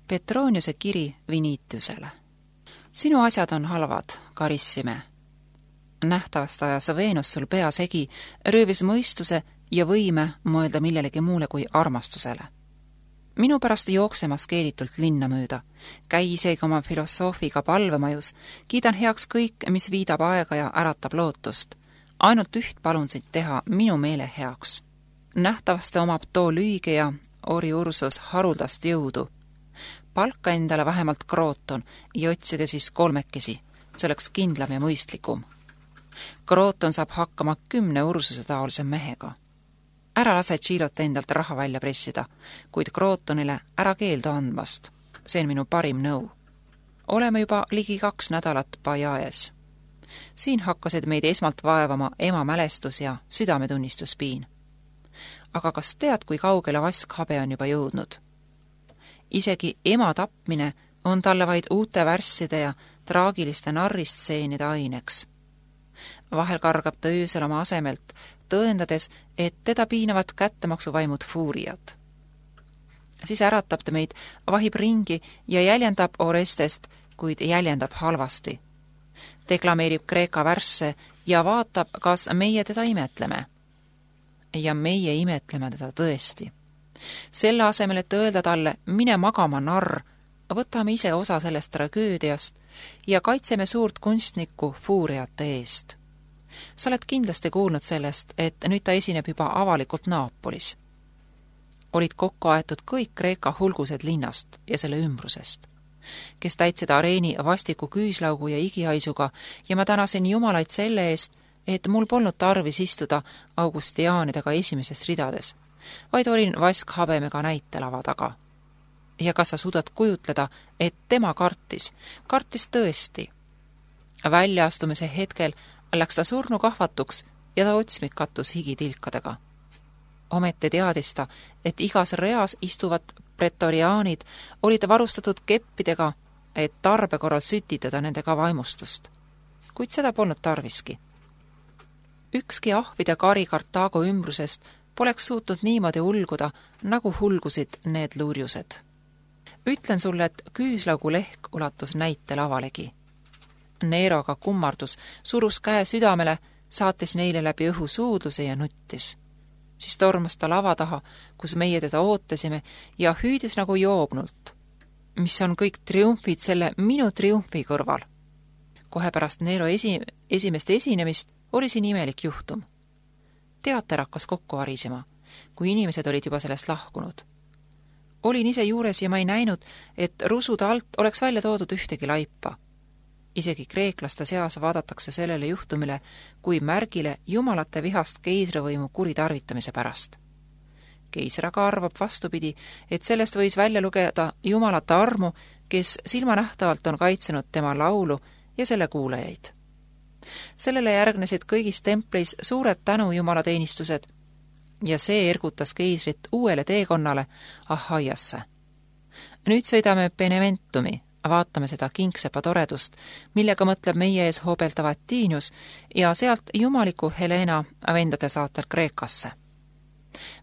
Petroniuse kiri Vinitiusele. Sinu asjad on halvad, Carissime. Nähtavast ajas Veenus sul pea segi, röövis mõistuse ja võime mõelda millelegi muule kui armastusele. Minu pärast jooksemas keelitult linna mööda, käi isegi oma filosoofiga palvemajus, kiidan heaks kõik, mis viidab aega ja äratab lootust. Ainult üht palun sind teha minu meele heaks. Nähtavasti omab too lüüge ja Ori Ursus haruldast jõudu. Palka endale vähemalt Krooton ja otsige siis kolmekesi, see oleks kindlam ja mõistlikum. Krooton saab hakkama 10 Ursuse taolise mehega. Ära lase Tšilot endalt raha välja pressida, kuid Krootonile ära keeldu andmast. See on minu parim nõu. Oleme juba ligi 2 nädalat Bajaes. Siin hakkasid meid esmalt vaevama ema mälestus ja südametunnistuspiin. Aga kas tead, kui kaugele Vaskhabe on juba jõudnud? Isegi ema tapmine on talle vaid uute värsside ja traagiliste narristseenide aineks. Vahel kargab ta öösel oma asemelt, tõendades, et teda piinavad kättemaksuvaimud fuuriad. Siis äratab ta meid, vahib ringi ja jäljendab Orestest, kuid jäljendab halvasti. Deklameerib kreeka värsse ja vaatab, kas meie teda imetleme. Ja meie imetleme teda tõesti. Selle asemel, et öelda talle, mine magama narr, võtame ise osa sellest tragöödiast ja kaitseme suurt kunstnikku fuuriate eest. Sa oled kindlasti kuulnud sellest, et nüüd ta esineb juba avalikult Naapolis. Olid kokku aetud kõik Kreeka hulgused linnast ja selle ümbrusest, kes täitsid areeni vastiku küüslaugu ja igihaisuga ja ma tänasin jumalaid selle eest, et mul polnud tarvis istuda augustiaanidega esimeses ridades, vaid olin Vaskhabemega näitelava taga. Ja kas sa suudad kujutleda, et tema kartis tõesti. Väljaastumise hetkel läks ta surnu kahvatuks ja ta otsmik kattus higitilkadega. Ometi teadis ta, et igas reas istuvad pretoriaanid olid varustatud keppidega, et tarbe korral sütitada nendega vaimustust. Kuid seda polnud tarviski. Ükski ahvide kari Kartaago ümbrusest poleks suutnud niimoodi ulguda, nagu hulgusid need luurjused. Ütlen sulle, et küüslaugu lehk ulatus näite lavalegi. Neeroga kummardus, surus käe südamele, saatis neile läbi õhu suudluse ja nuttis. Siis tormas ta lava taha, kus meie teda ootasime ja hüüdis nagu joobnult, mis on kõik triumfid selle minu triumfi kõrval. Kohe pärast Neero esimest esinemist oli siin imelik juhtum. Teater hakkas kokku varisema, kui inimesed olid juba sellest lahkunud. Olin ise juures ja ma ei näinud, et rusude alt oleks välja toodud ühtegi laipa. Isegi kreeklaste seas vaadatakse sellele juhtumile kui märgile jumalate vihast keisrivõimu kuritarvitamise pärast. Keisr aga arvab vastupidi, et sellest võis välja lugeda jumalate armu, kes silmanähtavalt on kaitsenud tema laulu ja selle kuulajaid. Sellele järgnesid kõigis templis suured tänujumalateenistused ja see ergutas keisrit uuele teekonnale Ahaiasse. Nüüd sõidame Beneventumi, vaatame seda kingsepa toredust, millega mõtleb meie ees hoobeldav Atiinius ja sealt jumaliku Helena vendade saatel Kreekasse.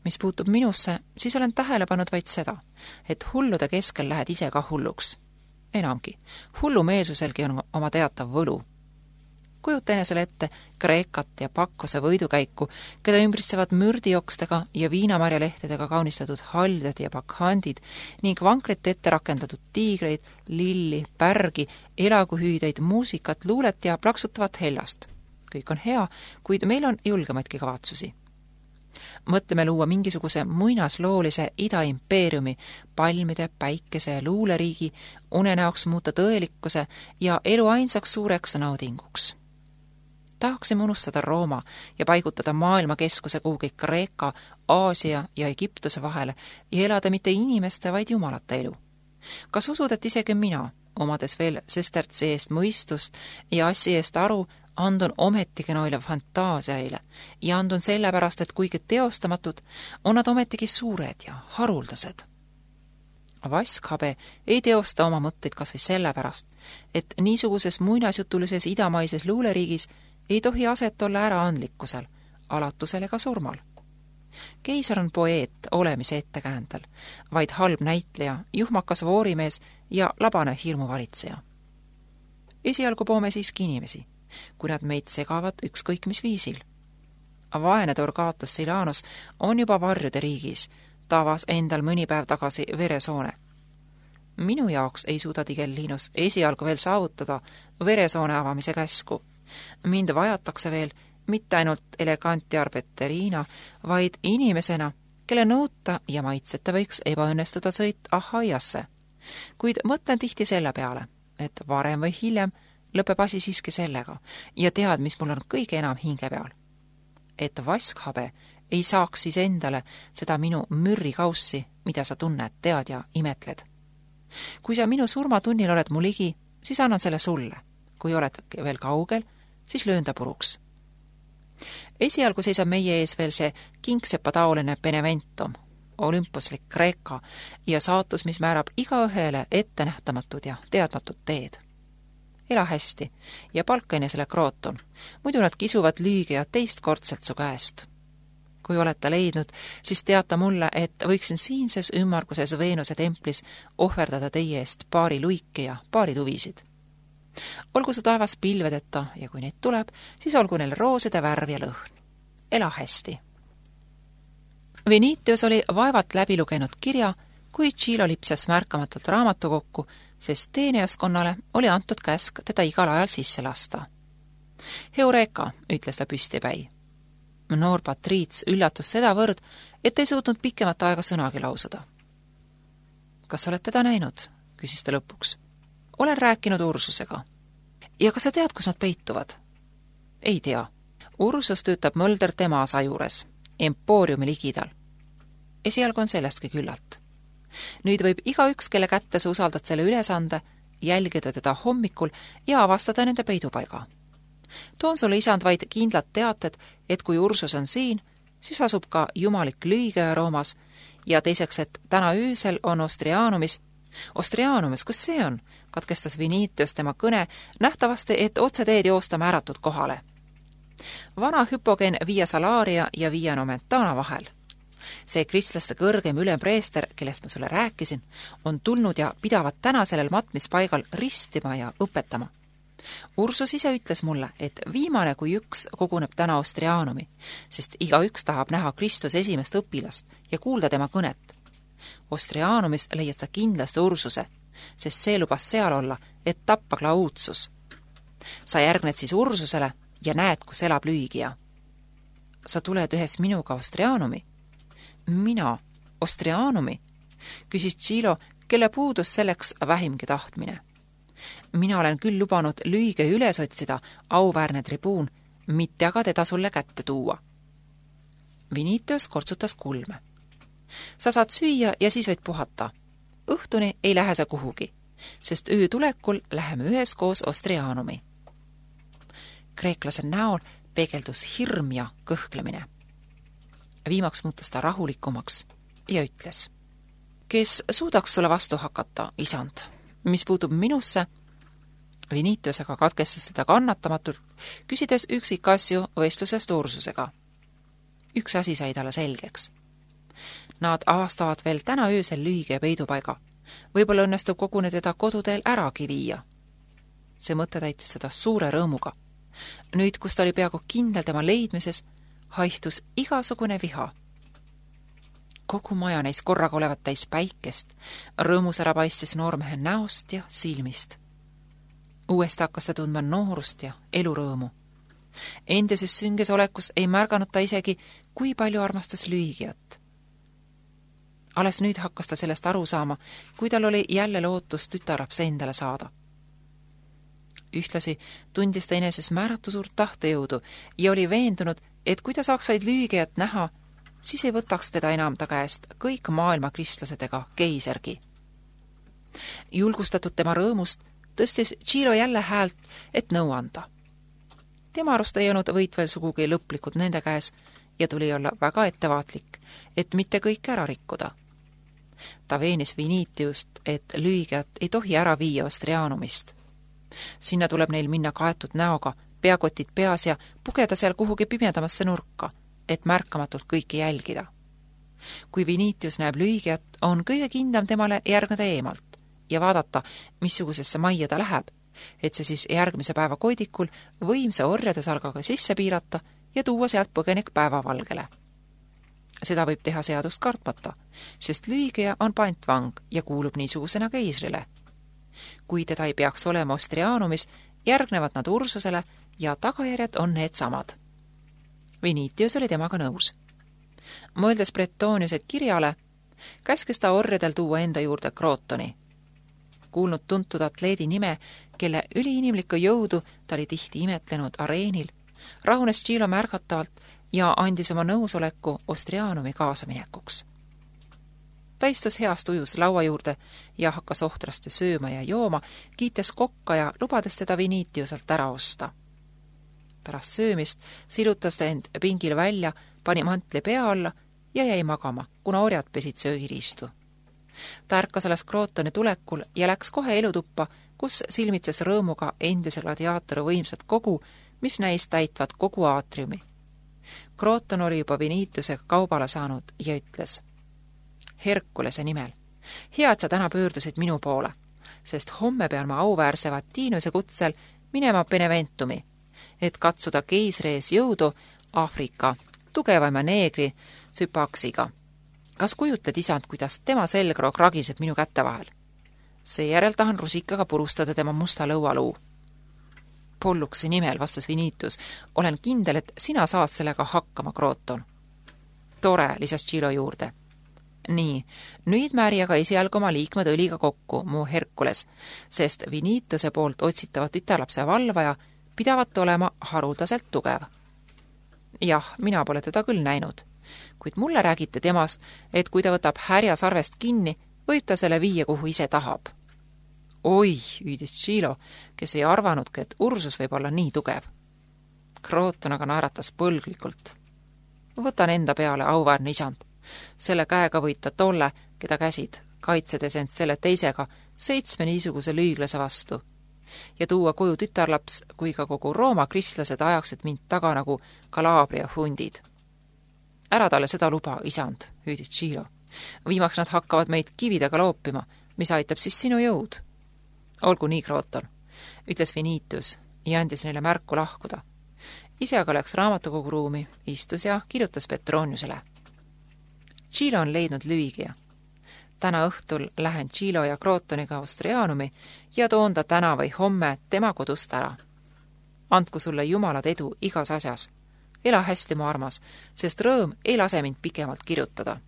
Mis puutub minusse, siis olen tähele pannud vaid seda, et hullude keskel lähed ise ka hulluks. Enamgi, hullumeelsuselgi on oma teatav võlu. Kujuta enesele ette Kreekat ja Pakkose võidukäiku, keda ümbritsevad mürdiokstega ja viinamarjalehtedega kaunistatud halded ja bakhandid ning vankrit ette rakendatud tiigreid, lilli, pärgi, elaguhüüdeid, muusikat, luulet ja plaksutavat hellast. Kõik on hea, kuid meil on julgemaidki kavatsusi. Mõtleme luua mingisuguse muinasloolise idaimpeeriumi, palmide, päikese ja luuleriigi, unenäoks muuta tõelikkuse ja elu ainsaks suureks naudinguks. Tahaksime unustada Rooma ja paigutada maailmakeskuse kuhugi Kreeka, Aasia ja Egiptuse vahele ja elada mitte inimeste, vaid jumalate elu. Kas usud, et isegi mina, omades veel sestertsi eest mõistust ja assi eest aru, andun ometigi noile fantaasiaile ja andun sellepärast, et kuigi teostamatud, on nad ometigi suured ja haruldased. Vaskhabe ei teosta oma mõtteid kas või sellepärast, et niisuguses muinasjutulises idamaises luuleriigis ei tohi aset olla äraandlikkusel, alatusel ega surmal. Keisar on poeet olemise ettekäändel, vaid halb näitleja, juhmakas voorimees ja labane hirmuvalitseja. Esialgu poome siiski inimesi, kui nad meid segavad ükskõik mis viisil. Vaene Torgatus Silanus on juba varjude riigis, ta avas endal mõni päev tagasi veresoone. Minu jaoks ei suuda Tigellinus esialgu veel saavutada veresoone avamise käsku. Mind vajatakse veel mitte ainult eleganti arbeteriina, vaid inimesena, kelle nõuta ja maitseta võiks ebaõnnestuda sõit Ahaiasse. Kuid mõtlen tihti selle peale, et varem või hiljem lõpeb asi siiski sellega ja tead, mis mul on kõige enam hinge peal. Et vaskhabe ei saaks siis endale seda minu mürrikaussi, mida sa tunned, tead ja imetled. Kui sa minu surmatunnil oled mu ligi, siis annan selle sulle. Kui oled veel kaugel, siis löön ta puruks. Esialgu seisab meie ees veel see kingsepataoline Beneventum, olümpuslik Kreeka ja saatus, mis määrab igaühele ettenähtamatud ja teadmatud teed. Ela hästi ja palka enesele Krooton, muidu nad kisuvad lüügia teistkordselt su käest. Kui olete leidnud, siis teata mulle, et võiksin siinses ümmarguses Veenuse templis ohverdada teie eest paari luike ja paari tuvisid. Olgu su taevas pilvedeta ja kui neid tuleb, siis olgu neil rooside värv ja lõhn. Ela hästi. Venitius oli vaevalt läbi lugenud kirja, kui Chilo lipsas märkamatult raamatu kokku, sest teenijaskonnale oli antud käsk teda igal ajal sisse lasta. Heureka, ütles ta püstipäi. Noor patriits üllatus sedavõrd, et ei suutnud pikemat aega sõnagi lausuda. Kas oled teda näinud? Küsis ta lõpuks. Olen rääkinud Ursusega. Ja kas sa tead, kus nad peituvad? Ei tea. Ursus töötab Mölder tema asa juures, empooriumi ligidal. Esialgu on sellestki küllalt. Nüüd võib igaüks, kelle kätte sa usaldad selle ülesande, jälgida teda hommikul ja avastada nende peidupaiga. Toon sulle isand vaid kindlad teated, et kui Ursus on siin, siis asub ka jumalik lüüge Roomas ja teiseks, et täna öösel on Ostrianumis, kus see on? Katkestas Venitius tema kõne, nähtavasti, et otseteed joosta määratud kohale. Vana Hypogen Via Salaria ja Via Nomentana vahel. See kristlaste kõrgem ülempreester, kellest ma sulle rääkisin, on tulnud ja pidavat täna sellel matmispaigal ristima ja õpetama. Ursus ise ütles mulle, et viimane kui üks koguneb täna Ostrianumi, sest igaüks tahab näha Kristuse esimest õpilast ja kuulda tema kõnet. Ostrianumis leiad sa kindlasti Ursuse, sest see lubas seal olla, et tappa Claudius. Sa järgned siis Ursusele ja näed, kus elab lüügija. Sa tuled ühes minuga Ostrianumi? Mina, Ostrianumi? Küsis Chilo, kelle puudus selleks vähimgi tahtmine. Mina olen küll lubanud lüüge üles otsida, auväärne tribuun, mitte aga teda sulle kätte tuua. Venitius kortsutas kulme. Sa saad süüa ja siis võid puhata. Õhtuni ei lähe sa kuhugi, sest öö tulekul läheme üheskoos Ostrianumi. Kreeklase näol peegeldus hirm ja kõhklemine. Viimaks muutus ta rahulikumaks ja ütles: kes suudaks sulle vastu hakata, isand? Mis puutub minusse? Venitius aga katkestas teda kannatamatult, küsides üksikasju vestlusest Ursusega. Üks asi sai talle selgeks. Nad avastavad veel täna öösel lüüge peidupaiga. Võib-olla õnnestub kogune teda koduteel äragi viia. See mõte täitis seda suure rõõmuga. Nüüd, kus ta oli peaaegu kindel tema leidmises, haihtus igasugune viha. Kogu maja neis korraga olevat täis päikest, rõõmus ära paistis noormehe näost ja silmist. Uuesti hakkas ta tundma noorust ja elurõõmu. Endises sünges olekus ei märganud ta isegi, kui palju armastas lüügijat. Alles nüüd hakkas ta sellest aru saama, kui tal oli jälle lootus tütarlaps endale saada. Ühtlasi tundis ta eneses määratu suurt tahtejõudu ja oli veendunud, et kui ta saaks vaid lüügijat näha, siis ei võtaks teda enam ta käest kõik maailma kristlased ega keisargi. Julgustatud tema rõõmust tõstis Chilo jälle häält, et nõu anda. Tema arust ei olnud võit veel sugugi lõplikud nende käes ja tuli olla väga ettevaatlik, et mitte kõike ära rikkuda. Ta veenis Venitiust, et lüügijat ei tohi ära viia Ostrianumist. Sinna tuleb neil minna kaetud näoga, peakotid peas ja pugeda seal kuhugi pimedamasse nurka, et märkamatult kõike jälgida. Kui Vinitius näeb Lüigiat, on kõige kindlam temale järgneda eemalt ja vaadata, missugusesse majja ta läheb, et see siis järgmise päeva koidikul võimsa orjade salgaga sisse piirata ja tuua sealt põgenik päevavalgele. Seda võib teha seadust kartmata, sest Lüigia on pantvang ja kuulub niisugusena keisrile. Kui teda ei peaks olema Ostrianumis, järgnevad nad Ursusele ja tagajärjed on need samad. Vinitius oli temaga nõus. Mõeldes Bretoniuse kirjale, käskis ta orjadel tuua enda juurde Krootoni. Kuulnud tuntud atleedi nime, kelle üliinimlikku jõudu ta oli tihti imetlenud areenil, rahunes Chilo märgatavalt ja andis oma nõusoleku Ostrianumi kaasaminekuks. Ta istus heast ujus laua juurde ja hakkas ohtrasti sööma ja jooma, kiites kokka ja lubades teda Vinitiuselt ära osta. Pärast söömist silutas ta end pingil välja, pani mantli pea alla ja jäi magama, kuna orjad pesid söögiriistu. Ta ärkas alles Krootoni tulekul ja läks kohe elutuppa, kus silmitses rõõmuga endise gladiaatori võimsat kogu, mis näis täitvat kogu aatriumi. Krooton oli juba Vinitiusega kaubale saanud ja ütles: Herkulese nimel, hea, et sa täna pöördusid minu poole, sest homme pean ma auväärse Vatinuse kutsel minema Beneventumi, et katsuda keisri ees jõudu Aafrika tugevaima neegri Süpaksiga. Kas kujutled, isand, kuidas tema selgroog ragiseb minu kätte vahel? Seejärel tahan rusikaga purustada tema musta lõualuu. Polluksi nimel, vastas Vinitius, olen kindel, et sina saad sellega hakkama, Krooton. Tore, lisas Chilo juurde. Nii, nüüd määri aga esialgu oma liikmed õliga kokku, mu Herkules, sest Vinitiuse poolt otsitavat tütarlapse valvaja pidavat olema haruldaselt tugev. Jah, mina pole teda küll näinud, kuid mulle räägite temast, et kui ta võtab härja sarvest kinni, võib ta selle viia, kuhu ise tahab. Oi, hüüdis Chilo, kes ei arvanudki, et Ursus võib olla nii tugev. Krooton aga naeratas põlglikult. Võtan enda peale, auväärne isand. Selle käega võita tolle, keda käsid, kaitsedes end selle teisega 7 niisuguse lüüglase vastu. Ja tuua koju tütarlaps, kui ka kogu Rooma kristlased ajaksid mind taga nagu Kalabria hundid. Ära talle seda luba, isand, hüüdis Chilo. Viimaks nad hakkavad meid kividega loopima, mis aitab siis sinu jõud. Olgu nii, Krooton, ütles Vinitius ja andis neile märku lahkuda. Ise aga läks raamatukogu ruumi, istus ja kirjutas Petroniusele. Chilo on leidnud Lüigia. Täna õhtul lähen Chilo ja Krootoniga Ostrianumi ja toon ta täna või homme tema kodust ära. Andku sulle jumalad edu igas asjas. Ela hästi, mu armas, sest rõõm ei lase mind pikemalt kirjutada.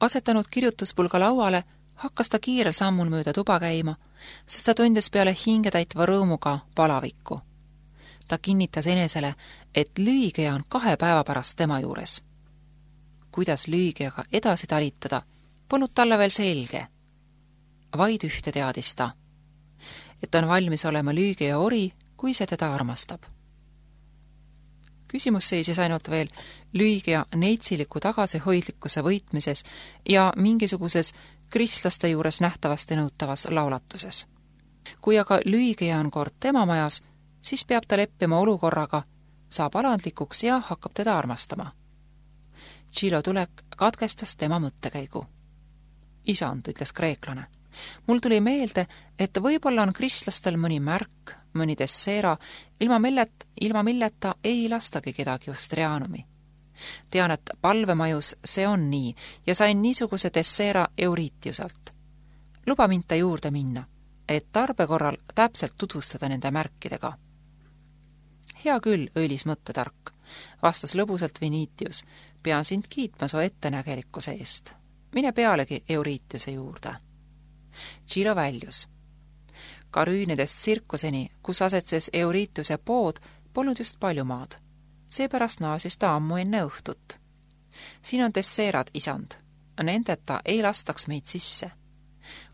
Asetanud kirjutuspulga lauale, hakkas ta kiirel sammul mööda tuba käima, sest ta tundis peale hingetäitva rõõmuga palavikku. Ta kinnitas enesele, et Lüigia on 2 päeva pärast tema juures. Kuidas Lüigiaga edasi talitada, polnud talle veel selge. Vaid ühte teadis ta, et on valmis olema Lüigia ori, kui see teda armastab. Küsimus seisis ainult veel Lüigia neitsiliku tagasihoidlikkuse võitmises ja mingisuguses kristlaste juures nähtavasti nõutavas laulatuses. Kui aga Lüigia on kord tema majas, siis peab ta leppima olukorraga, saab alandlikuks ja hakkab teda armastama. Chilo tulek katkestas tema mõttekäigu. Isand, ütles kreeklane, mul tuli meelde, et võib-olla on kristlastel mõni märk, mõni desseera, ilma milleta ei lastagi kedagi Ostrianumi. Tean, et palvemajus see on nii ja sain niisuguse desseera Euritiuselt. Luba mind ta juurde minna, et tarbe korral täpselt tutvustada nende märkidega. Hea küll, õilis mõttetark, vastas lõbusalt Vinitius, pean sind kiitma su ettenägelikkuse eest. Mine pealegi Euritiuse juurde. Chilo väljus. Karüünidest tsirkuseni, kus asetses Eurituse pood, polnud just palju maad. Seepärast naasis ta ammu enne õhtut. Siin on desseerad, isand. Nendeta ei lastaks meid sisse.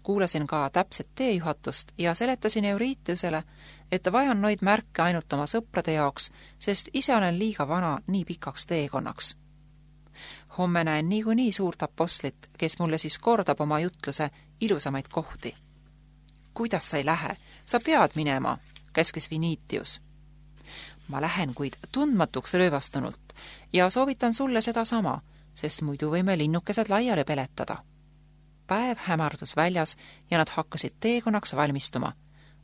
Kuulasin ka täpset teejuhatust ja seletasin Euritusele, et vajan noid märke ainult oma sõprade jaoks, sest ise olen liiga vana nii pikaks teekonnaks. Homme näen niikuinii suurt apostlit, kes mulle siis kordab oma jutluse ilusamaid kohti. Kuidas sa ei lähe? Sa pead minema, käskis Vinitius. Ma lähen, kuid tundmatuks röövastunult, ja soovitan sulle sedasama, sest muidu võime linnukesed laiali peletada. Päev hämardus väljas ja nad hakkasid teekonnaks valmistuma,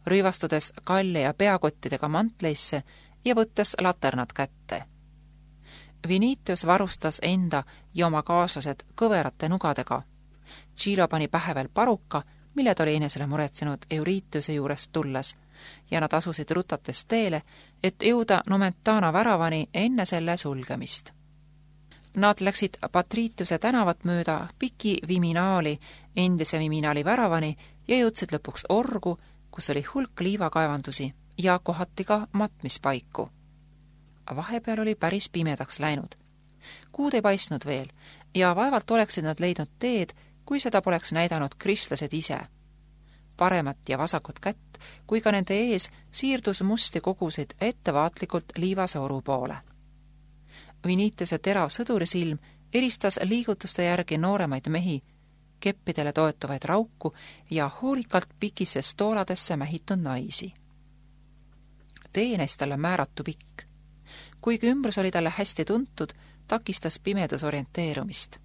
rõivastudes kalle ja peakottidega mantleisse ja võttes laternad kätte. Vinitius varustas enda ja oma kaaslased kõverate nugadega. Chilo pani pähe veel paruka, mille ta oli enesele muretsenud Euritiuse juurest tulles, ja nad asusid rutates teele, et jõuda Nomentana väravani enne selle sulgemist. Nad läksid Patritiuse tänavat mööda piki Viminaali, endise Viminaali väravani ja jõudsid lõpuks orgu, kus oli hulk liivakaevandusi ja kohati ka matmispaiku. Vahepeal oli päris pimedaks läinud. Kuud ei paistnud veel ja vaevalt oleksid nad leidnud teed, kui seda poleks näidanud kristlased ise. Paremat ja vasakut kätt, kui ka nende ees siirdus musti kogusid ettevaatlikult liivase oru poole. Vinitiuse terav sõdurisilm eristas liigutuste järgi nooremaid mehi, keppidele toetuvaid rauku ja hoolikalt pikisse stooladesse mähitud naisi. Tee neist talle määratu pikk. Kuigi ümbrus oli talle hästi tuntud, takistas pimedus orienteerumist.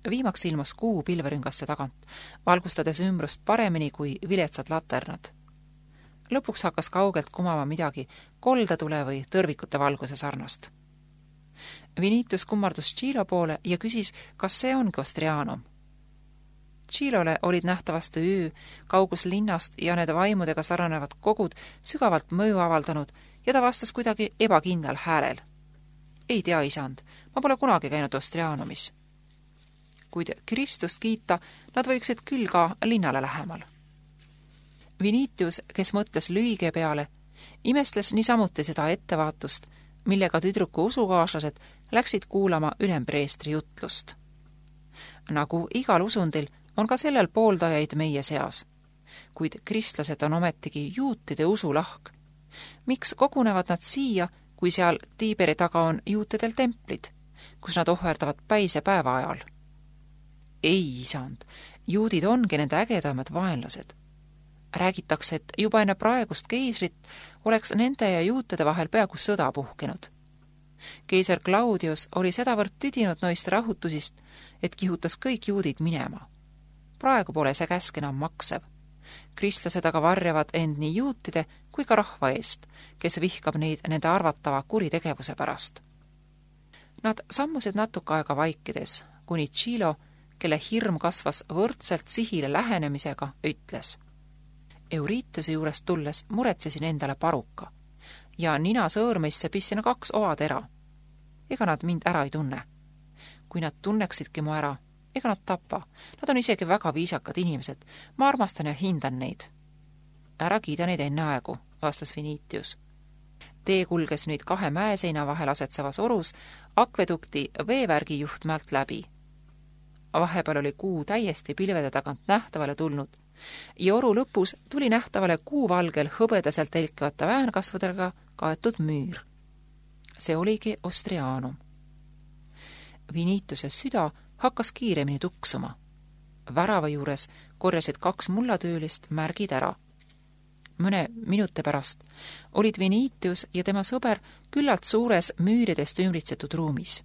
Viimaks ilmus kuu pilverüngasse tagant, valgustades ümbrust paremini kui viletsad laternad. Lõpuks hakkas kaugelt kumama midagi koldatule või tõrvikute valguse sarnast. Vinitius kummardus Chilo poole ja küsis, kas see ongi Ostrianum. Chilole olid nähtavasti öö, kaugus linnast ja need vaimudega sarnanevad kogud sügavalt mõju avaldanud ja ta vastas kuidagi ebakindlal häälel. Ei tea, isand, ma pole kunagi käinud Ostrianumis. Kuid Kristust kiita, nad võiksid küll ka linnale lähemal. Vinitius, kes mõtles lühige peale, imestles niisamuti seda ettevaatust, millega tüdruku usukaaslased läksid kuulama ülempreestri jutlust. Nagu igal usundil on ka sellel pooldajaid meie seas, kuid kristlased on ometigi juutide usulahk. Miks kogunevad nad siia, kui seal Tiiberi taga on juutidel templid, kus nad ohverdavad päise päeva ajal? Ei, isand, juudid ongi nende ägedamad vaenlased. Räägitakse, et juba enne praegust keisrit oleks nende ja juutide vahel peaaegu sõda puhkenud. Keiser Claudius oli sedavõrd tüdinud noist rahutusist, et kihutas kõik juudid minema. Praegu pole see käsk enam maksev. Kristlased aga varjavad end nii juutide kui ka rahva eest, kes vihkab neid nende arvatava kuritegevuse pärast. Nad sammusid natuke aega vaikides, kuni Chilo, kelle hirm kasvas võrdselt sihile lähenemisega, ütles: Euritiuse juurest tulles muretsesin endale paruka ja nina sõõrmeisse pistsin 2 ovatera. Ega nad mind ära ei tunne. Kui nad tunneksidki mu ära, ega nad tapa. Nad on isegi väga viisakad inimesed. Ma armastan ja hindan neid. Ära kiida neid enne aegu, vastas Vinitius. Tee kulges nüüd 2 mäeseina vahel asetsevas orus akvedukti veevärgi juhtmäelt läbi. Vahepeal oli kuu täiesti pilvede tagant nähtavale tulnud ja oru lõpus tuli nähtavale kuuvalgel hõbedaselt telkivate väänkasvadega kaetud müür. See oligi Ostrianum. Vinitiuse süda hakkas kiiremini tuksuma. Värava juures korjasid 2 mullatöölist märgid ära. Mõne minuti pärast olid Vinitius ja tema sõber küllalt suures müüridest ümbritsetud ruumis.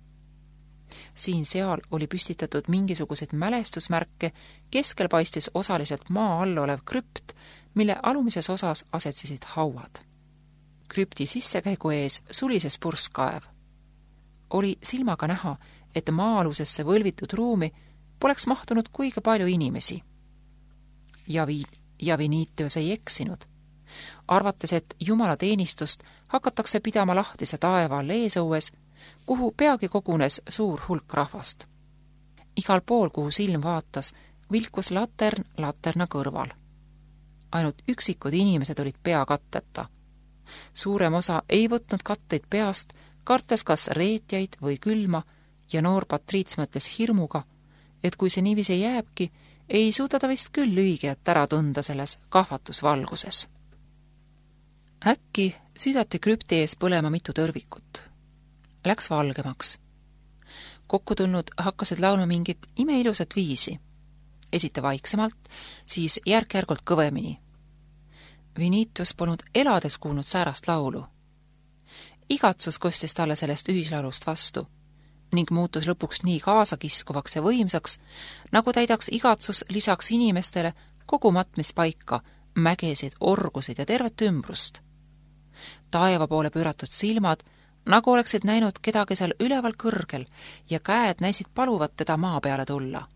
Siin-seal oli püstitatud mingisuguseid mälestusmärke, keskel paistis osaliselt maa all olev krüpt, mille alumises osas asetsesid hauad. Krüpti sissekäigu ees sulises purskkaev. Oli silmaga näha, et maa-alusesse võlvitud ruumi poleks mahtunud kuigi palju inimesi. Ja Vinitius ei eksinud. Arvates, et jumalateenistust hakatakse pidama lahtise taeva all eesõues, kuhu peagi kogunes suur hulk rahvast. Igal pool, kuhu silm vaatas, vilkus latern laterna kõrval. Ainult üksikud inimesed olid pea katteta. Suurem osa ei võtnud katteid peast, kartes kas reetjaid või külma, ja noor patriits mõtles hirmuga, et kui see niiviisi jääbki, ei suuda ta vist küll lühigijat ära tunda selles kahvatusvalguses. Äkki südati krüpti ees põlema mitu tõrvikut. Läks valgemaks. Kokku tulnud hakkasid laulma mingit imeilusat viisi. Esite vaiksemalt, siis järk-järgult kõvemini. Vinitius polnud elades kuulnud säärast laulu. igatsus kostis talle sellest ühislaulust vastu ning muutus lõpuks nii kaasakiskuvaks ja võimsaks, nagu täidaks igatsus lisaks inimestele kogu matmispaika, mägesid, orgusid ja tervet ümbrust. Taeva poole pööratud silmad, nagu oleksid näinud kedagi seal üleval kõrgel ja käed näisid paluvat teda maa peale tulla.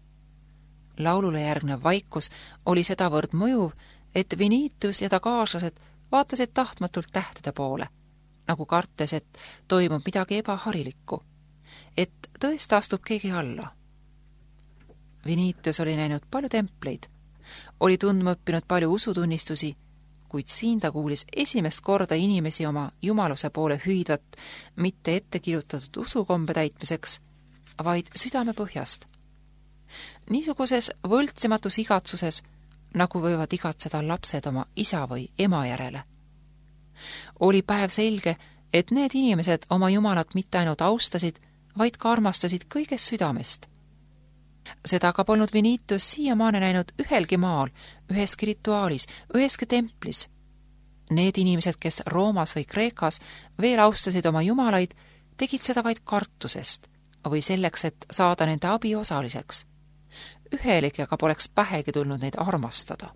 Laulule järgnev vaikus oli sedavõrd mõjuv, et Vinitus ja ta kaaslased vaatasid tahtmatult tähtede poole, nagu kartes, et toimub midagi ebaharilikku, et tõesti astub keegi alla. Vinitus oli näinud palju templeid, oli tundma õppinud palju usutunnistusi, kuid siin ta kuulis esimest korda inimesi oma jumaluse poole hüüdvat mitte ette kirjutatud usukombe täitmiseks, vaid südame põhjast. Niisuguses võltsimatus igatsuses, nagu võivad igatseda lapsed oma isa või ema järele. Oli päev selge, et need inimesed oma jumalat mitte ainult austasid, vaid ka armastasid kõigest südamest. Seda aga polnud Vinitus siiamaani näinud ühelgi maal, üheski rituaalis, üheski templis. Need inimesed, kes Roomas või Kreekas veel austasid oma jumalaid, tegid seda vaid kartusest või selleks, et saada nende abi osaliseks. Ühelegi aga poleks pähegi tulnud neid armastada.